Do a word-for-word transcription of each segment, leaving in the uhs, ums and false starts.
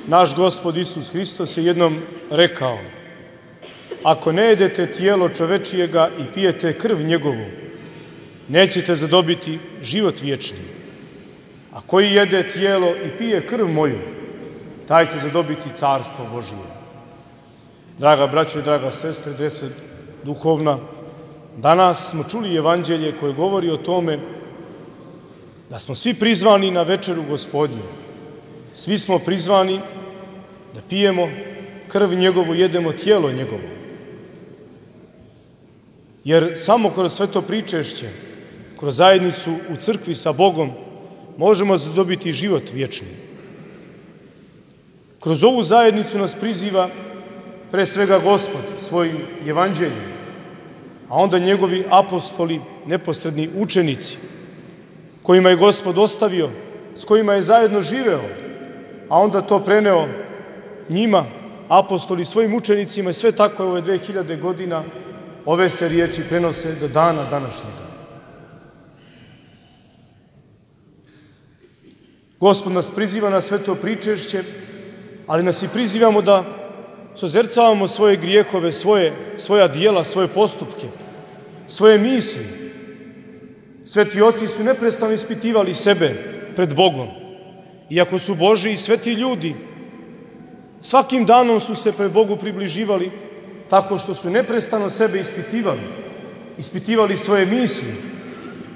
Naš Gospod Isus Hristos je jednom rekao: ako ne jedete tijelo čovečijega i pijete krv njegovu, nećete zadobiti život vječni. A koji jede tijelo i pije krv moju, taj će zadobiti carstvo Božije. Draga braćo i draga sestre, djeco duhovna, danas smo čuli evanđelje koje govori o tome da smo svi prizvani na večeru Gospodnju. Svi smo prizvani da pijemo krv njegovu, jedemo tijelo njegovo. Jer samo kroz sveto pričešće, kroz zajednicu u crkvi sa Bogom, možemo zadobiti život vječni. Kroz ovu zajednicu nas priziva pre svega Gospod svojim evanđeljem, a onda njegovi apostoli, neposredni učenici, kojima je Gospod ostavio, s kojima je zajedno živeo, a onda to preneo njima, apostoli, svojim učenicima, i sve tako je ove dve hiljade godina ove se riječi prenose do dana današnjega. Gospod nas priziva na sveto pričešće, ali nas i prizivamo da sozercavamo svoje grijehove, svoje, svoja dijela, svoje postupke, svoje misli. Sveti oci su neprestano ispitivali sebe pred Bogom. Iako su Božji i sveti ljudi, svakim danom su se pred Bogu približivali tako što su neprestano sebe ispitivali. Ispitivali svoje misli,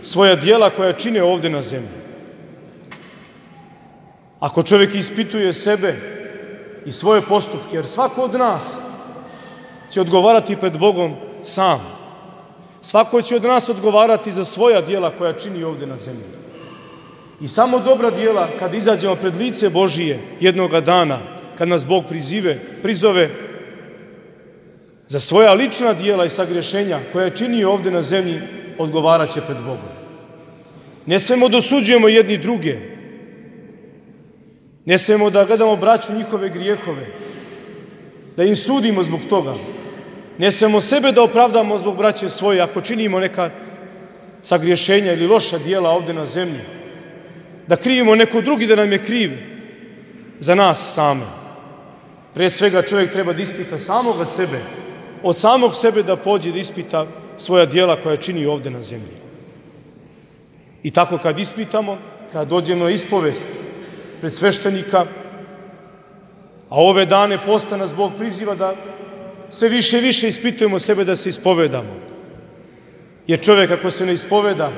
svoja dijela koja čine ovde na zemlji. Ako čovjek ispituje sebe i svoje postupke, jer svako od nas će odgovarati pred Bogom sam. Svako će od nas odgovarati za svoja dijela koja čini ovde na zemlji. I samo dobra dijela, kad izađemo pred lice Božije jednoga dana, kad nas Bog prizive, prizove, za svoja lična dijela i sagrešenja koja je činio ovde na zemlji, odgovarat će pred Bogom. Ne smemo da osuđujemo jedni druge. Ne smemo da gledamo braću njihove grijehove, da im sudimo zbog toga. Ne smemo sebe da opravdamo zbog braće svoje ako činimo neka sagrešenja ili loša dijela ovde na zemlji. Da krivimo neko drugi da nam je kriv za nas same. Pre svega čovjek treba da ispita samoga sebe, od samog sebe da pođe da ispita svoja dijela koja čini ovde na zemlji. I tako kad ispitamo, kad dođemo na ispovest pred sveštenika, a ove dane posta nas Bog priziva da sve više i više ispitujemo sebe da se ispovedamo. Jer čovjek ako se ne ispoveda,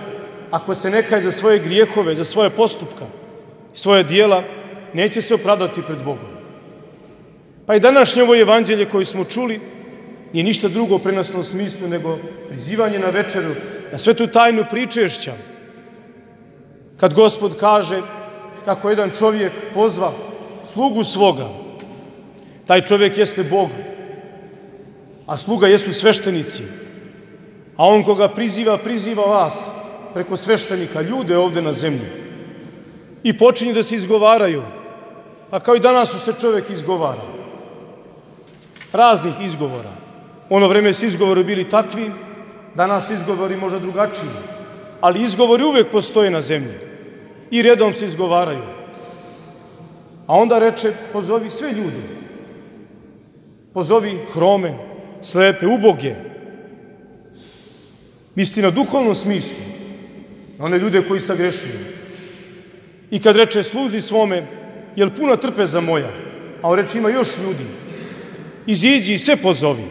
ako se ne kaje za svoje grijehove, za svoje postupka, svoje dijela, neće se opravdati pred Bogom. Pa i današnje ovo evanđelje koje smo čuli nije ništa drugo u prenosnom smislu nego prizivanje na večeru, na svetu tajnu pričešća. Kad Gospod kaže kako jedan čovjek pozva slugu svoga, taj čovjek jeste Bog, a sluga jesu sveštenici. A on koga priziva, priziva vas preko sveštenika, ljude ovde na zemlji. I počinje da se izgovaraju. A kao i danas su se čovjek izgovara. Raznih izgovora. Ono vreme su izgovori bili takvi, danas su izgovori možda drugačiji. Ali izgovori uvek postoje na zemlji. I redom se izgovaraju. A onda reče, pozovi sve ljude. Pozovi hrome, slepe, uboge. Misli na duhovnom smislu. Na one ljude koji sagrešuju. I kad reče sluzi svome, jel puna trpeza moja? A on reče ima još ljudi. Iziđi i sve pozovi.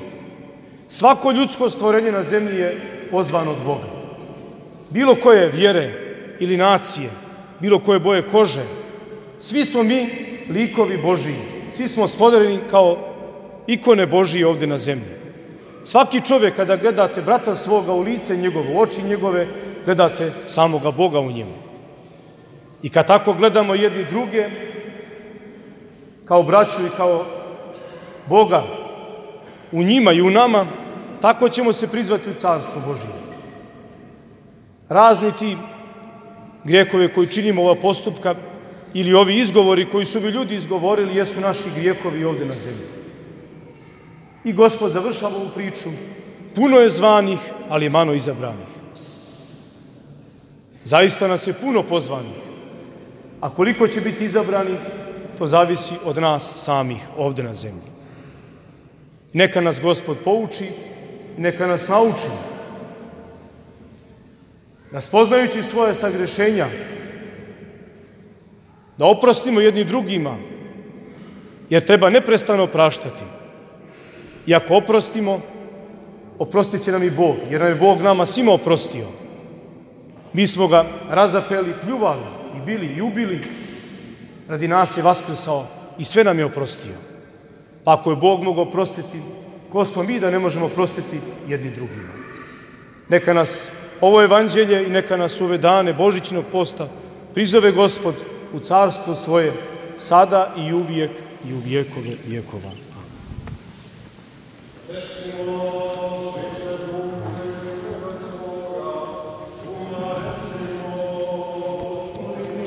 Svako ljudsko stvorenje na zemlji je pozvano od Boga. Bilo koje vjere ili nacije, bilo koje boje kože, svi smo mi likovi Božiji. Svi smo stvoreni kao ikone Božije ovde na zemlji. Svaki čovjek kada gledate brata svoga u lice njegovo, u oči njegove, gledate samoga Boga u njemu. I kad tako gledamo jedni druge, kao braću i kao Boga u njima i u nama, tako ćemo se prizvati u carstvo Božije. Razni ti grijehove koji činimo ova postupka ili ovi izgovori koji su bi ljudi izgovorili jesu naši grijehovi ovde na zemlji. I Gospod završava ovu priču. Puno je zvanih, ali je malo izabranih. Zaista nas je puno pozvanih, a koliko će biti izabrani, to zavisi od nas samih ovde na zemlji. Neka nas Gospod pouči, neka nas nauči da spoznajući svoje sagrešenja, da oprostimo jedni drugima, jer treba neprestano praštati. I ako oprostimo, oprostit će nam i Bog, jer nam je Bog nama svima oprostio. Mi smo ga razapeli, pljuvali i bili i ubili, radi nas je vaskrsao i sve nam je oprostio. Pa ako je Bog mogao oprostiti, ko smo mi da ne možemo oprostiti jedni drugima? Neka nas ovo evanđelje i neka nas ove dane Božićnog posta prizove Gospod u carstvo svoje, sada i uvijek i u vjekove vjekova.